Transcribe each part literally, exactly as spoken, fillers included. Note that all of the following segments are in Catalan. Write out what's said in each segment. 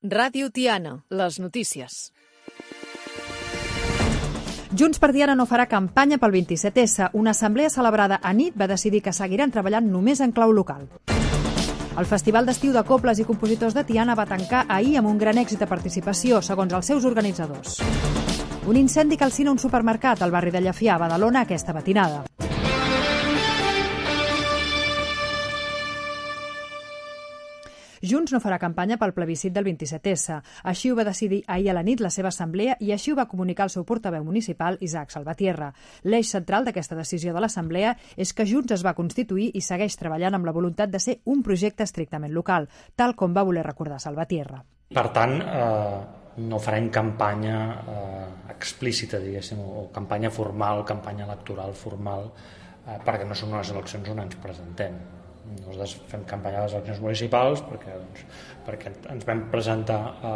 Ràdio Tiana, les notícies. Junts per Tiana no farà campanya pel vint-i-set essa. Una assemblea celebrada a nit va decidir que seguiran treballant només en clau local. El Festival d'Estiu de Cobles i Compositors de Tiana va tancar ahir amb un gran èxit de participació, segons els seus organitzadors. Un incendi calcina un supermercat al barri de Llefià, a Badalona, aquesta matinada. Junts no farà campanya pel plebiscit del vint-i-set essa. Així ho va decidir ahir a la nit la seva assemblea i així ho va comunicar el seu portaveu municipal, Isaac Salvatierra. L'eix central d'aquesta decisió de l'assemblea és que Junts es va constituir i segueix treballant amb la voluntat de ser un projecte estrictament local, tal com va voler recordar Salvatierra. Per tant, eh, no farem campanya eh, explícita, diguéssim, o campanya formal, campanya electoral formal, eh, perquè no són unes eleccions on ens presentem. Nosaltres fem campanya a les eleccions municipals perquè, doncs, perquè ens vam presentar a,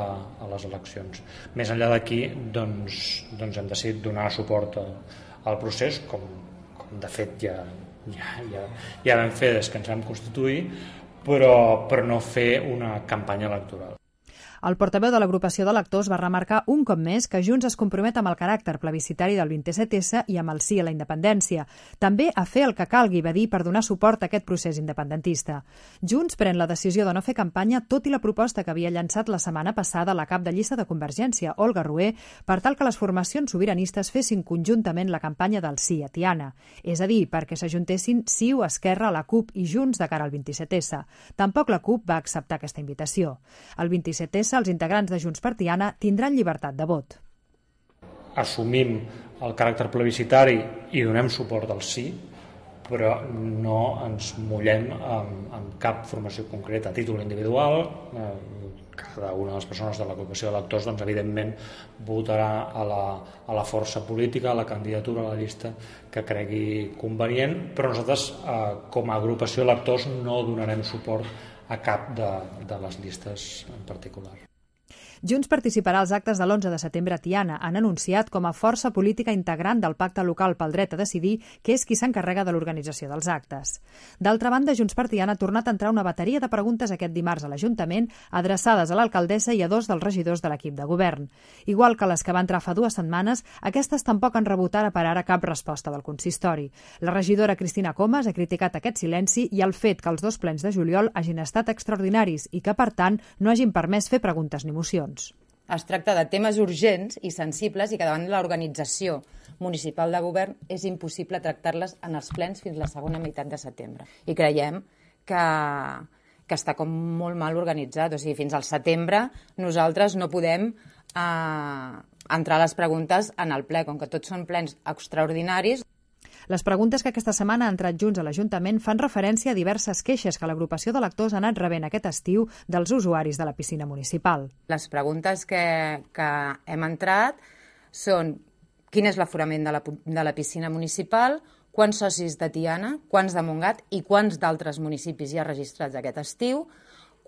a les eleccions. Més enllà d'aquí, doncs, doncs hem decidit donar suport a, al procés, com, com de fet ja, ja, ja, ja vam fer des que ens vam constituir, però, però no fer una campanya electoral. El portaveu de l'agrupació d'electors va remarcar un cop més que Junts es compromet amb el caràcter plebiscitari del vint-i-set essa i amb el sí a la independència. També a fer el que calgui, va dir, per donar suport a aquest procés independentista. Junts pren la decisió de no fer campanya, tot i la proposta que havia llançat la setmana passada la cap de llista de Convergència, Olga Rué, per tal que les formacions sobiranistes fessin conjuntament la campanya del sí a Tiana. És a dir, perquè s'ajuntessin CiU, Esquerra, la CUP i Junts de cara al vint-i-set essa. Tampoc la CUP va acceptar aquesta invitació. El vint-i-set essa els integrants de Junts per Tiana tindran llibertat de vot. Assumim el caràcter plebiscitari i donem suport al sí, però no ens mullem amb, amb cap formació concreta a títol individual. Eh, cada una de les persones de l'agrupació d'electors, doncs, evidentment, votarà a la, a la força política, a la candidatura, a la llista que cregui convenient, però nosaltres, eh, com a agrupació d'electors, no donarem suport a cap de, de les llistes en particular. Junts participarà als actes de l'onze de setembre a Tiana. Han anunciat com a força política integrant del Pacte Local pel Dret a Decidir, que és qui s'encarrega de l'organització dels actes. D'altra banda, Junts per Tiana ha tornat a entrar una bateria de preguntes aquest dimarts a l'Ajuntament, adreçades a l'alcaldessa i a dos dels regidors de l'equip de govern. Igual que les que va entrar fa dues setmanes, aquestes tampoc han rebut ara per ara cap resposta del consistori. La regidora Cristina Comas ha criticat aquest silenci i el fet que els dos plens de juliol hagin estat extraordinaris i que, per tant, no hagin permès fer preguntes ni mocions. Es tracta de temes urgents i sensibles i que davant l'organització municipal de govern és impossible tractar-les en els plens fins la segona meitat de setembre. I creiem que, que està com molt mal organitzat. O sigui, fins al setembre nosaltres no podem eh, entrar a les preguntes en el ple, com que tots són plens extraordinaris. Les preguntes que aquesta setmana ha entrat Junts a l'Ajuntament fan referència a diverses queixes que l'agrupació d'electors ha anat rebent aquest estiu dels usuaris de la piscina municipal. Les preguntes que, que hem entrat són quin és l'aforament de, la, de la piscina municipal, quants socis de Tiana, quants de Montgat i quants d'altres municipis hi ha registrats aquest estiu,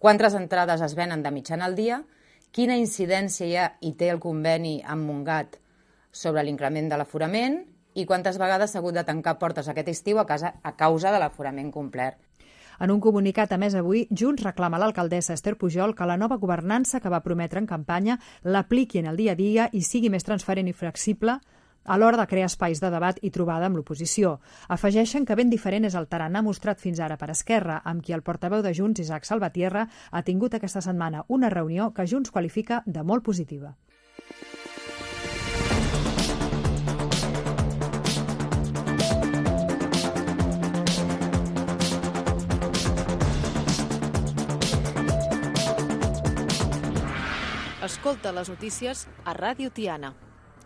quantes entrades es venen de mitjana al dia, quina incidència hi ha i té el conveni amb Montgat sobre l'increment de l'aforament i quantes vegades s'ha hagut de tancar portes aquest estiu a, casa, a causa de l'aforament complet. En un comunicat, a més, avui, Junts reclama a l'alcaldessa Esther Pujol que la nova governança que va prometre en campanya l'apliqui en el dia a dia i sigui més transparent i flexible a l'hora de crear espais de debat i trobada amb l'oposició. Afegeixen que ben diferent és el tarannà mostrat fins ara per Esquerra, amb qui el portaveu de Junts, Isaac Salvatierra, ha tingut aquesta setmana una reunió que Junts qualifica de molt positiva. Escolta les notícies a Ràdio Tiana.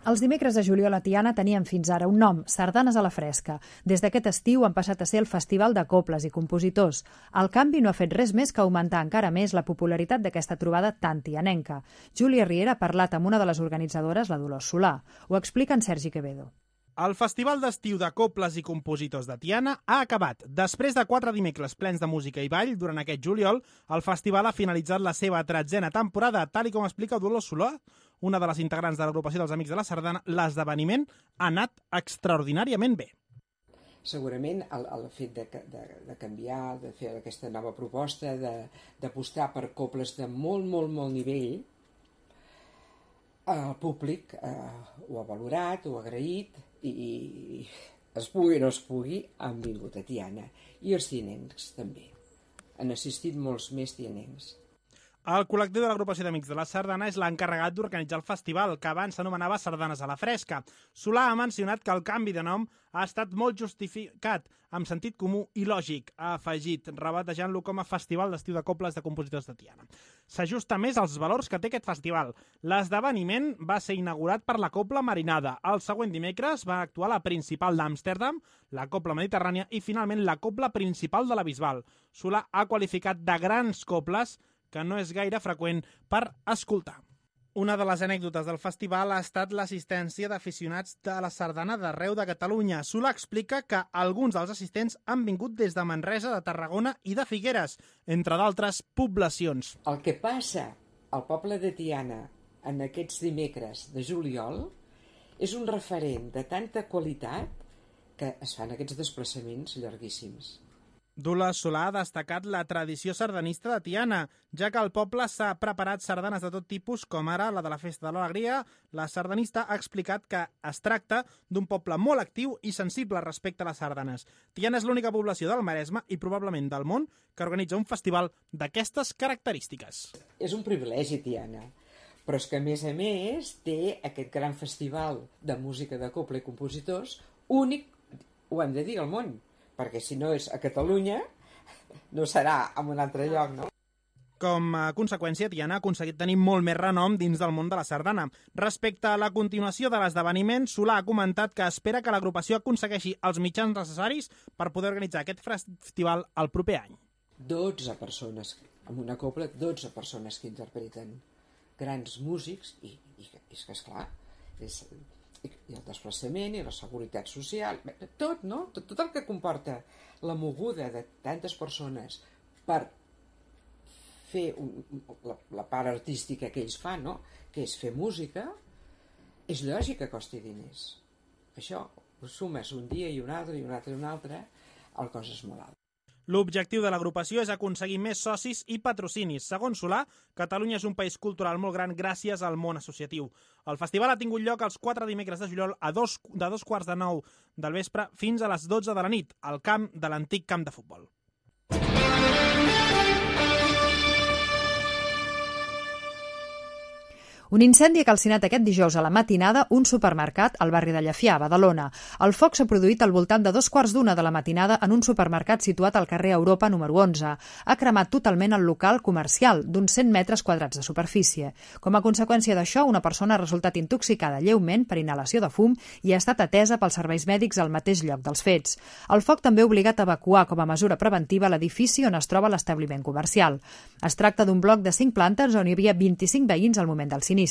Els dimecres de juliol a Tiana tenien fins ara un nom, Sardanes a la Fresca. Des d'aquest estiu han passat a ser el Festival de Cobles i Compositors. El canvi no ha fet res més que augmentar encara més la popularitat d'aquesta trobada tan tianenca. Júlia Riera ha parlat amb una de les organitzadores, la Dolors Solà. Ho explica en Sergi Quevedo. El Festival d'Estiu de Cobles i Compositors de Tiana ha acabat. Després de quatre dimecres plens de música i ball, durant aquest juliol, el festival ha finalitzat la seva tretzena temporada, tal i com explica Dolors Solà, una de les integrants de l'agrupació dels Amics de la Sardana. L'esdeveniment ha anat extraordinàriament bé. segurament el, el fet de, de, de canviar, de fer aquesta nova proposta, d'apostar per cobles de molt, molt, molt nivell, el públic eh, ho ha valorat, ho ha agraït i, i es pugui o no es pugui, han vingut a Tiana. I els tianencs també. Han assistit molts més tianencs. El col·lectiu de l'agrupació d'Amics de la Sardana és l'encarregat d'organitzar el festival, que abans s'anomenava Sardanes a la Fresca. Solà ha mencionat que el canvi de nom ha estat molt justificat, amb sentit comú i lògic, ha afegit, rebatejant-lo com a Festival d'Estiu de Cobles de Compositors de Tiana. S'ajusta més als valors que té aquest festival. L'esdeveniment va ser inaugurat per la Cobla Marinada. El següent dimecres va actuar la principal d'Amsterdam, la Cobla Mediterrània i, finalment, la Cobla principal de la Bisbal. Solà ha qualificat de grans cobles que no és gaire freqüent per escoltar. Una de les anècdotes del festival ha estat l'assistència d'aficionats de la sardana d'arreu de Catalunya. Solà explica que alguns dels assistents han vingut des de Manresa, de Tarragona i de Figueres, entre d'altres poblacions. El que passa al poble de Tiana en aquests dimecres de juliol és un referent de tanta qualitat que es fan aquests desplaçaments llarguíssims. Dula Solà ha destacat la tradició sardanista de Tiana, ja que el poble s'ha preparat sardanes de tot tipus, com ara la de la Festa de l'Alegria. La sardanista ha explicat que es tracta d'un poble molt actiu i sensible respecte a les sardanes. Tiana és l'única població del Maresme i probablement del món que organitza un festival d'aquestes característiques. És un privilegi, Tiana, però és que, a més a més, té aquest gran festival de música de cobla i compositors únic, ho hem de dir, al món. Perquè si no és a Catalunya, no serà en un altre lloc, no? Com a conseqüència, Tiana ha aconseguit tenir molt més renom dins del món de la sardana. Respecte a la continuació de l'esdeveniment, Solà ha comentat que espera que l'agrupació aconsegueixi els mitjans necessaris per poder organitzar aquest festival el proper any. dotze persones, amb una cobla, dotze persones que interpreten grans músics i, i, i és que, esclar, és... i el desplaçament i la seguretat social, tot, no? Tot, tot el que comporta la moguda de tantes persones per fer un, la, la part artística que ells fan, no? Que és fer música, és lògic que costi diners. Això ho sumes un dia i un altre i un altre i un altre, el cost és molt alt. L'objectiu de l'agrupació és aconseguir més socis i patrocinis. Segons Solà, Catalunya és un país cultural molt gran gràcies al món associatiu. El festival ha tingut lloc els quatre dimecres de juliol a dos, de dos quarts de nou del vespre fins a les dotze de la nit, al camp de l'antic camp de futbol. Un incendi ha calcinat aquest dijous a la matinada un supermercat al barri de Llefià, a Badalona. El foc s'ha produït al voltant de dos quarts d'una de la matinada en un supermercat situat al carrer Europa número onze. Ha cremat totalment el local comercial, d'uns cent metres quadrats de superfície. Com a conseqüència d'això, una persona ha resultat intoxicada lleument per inhalació de fum i ha estat atesa pels serveis mèdics al mateix lloc dels fets. El foc també ha obligat a evacuar com a mesura preventiva l'edifici on es troba l'establiment comercial. Es tracta d'un bloc de cinc plantes on hi havia vint-i-cinc veïns al moment del sinistre.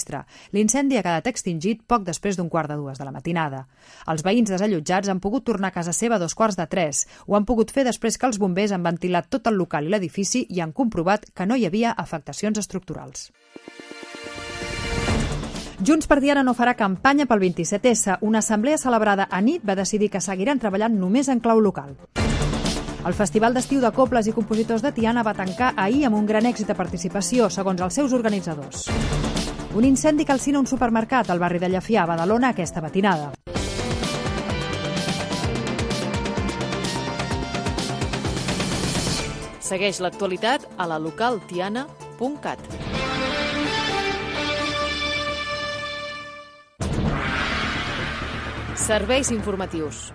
L'incendi ha quedat extingit poc després d'un quart de dues de la matinada. Els veïns desallotjats han pogut tornar a casa seva a dos quarts de tres. Ho han pogut fer després que els bombers han ventilat tot el local i l'edifici i han comprovat que no hi havia afectacions estructurals. Junts per Tiana no farà campanya pel vint-i-set essa. Una assemblea celebrada a nit va decidir que seguiran treballant només en clau local. El Festival d'Estiu de Cobles i Compositors de Tiana va tancar ahir amb un gran èxit de participació, segons els seus organitzadors. Un incendi calcina un supermercat al barri de Llefià, a Badalona, aquesta matinada. Segueix l'actualitat a la local tiana punt cat. Serveis informatius.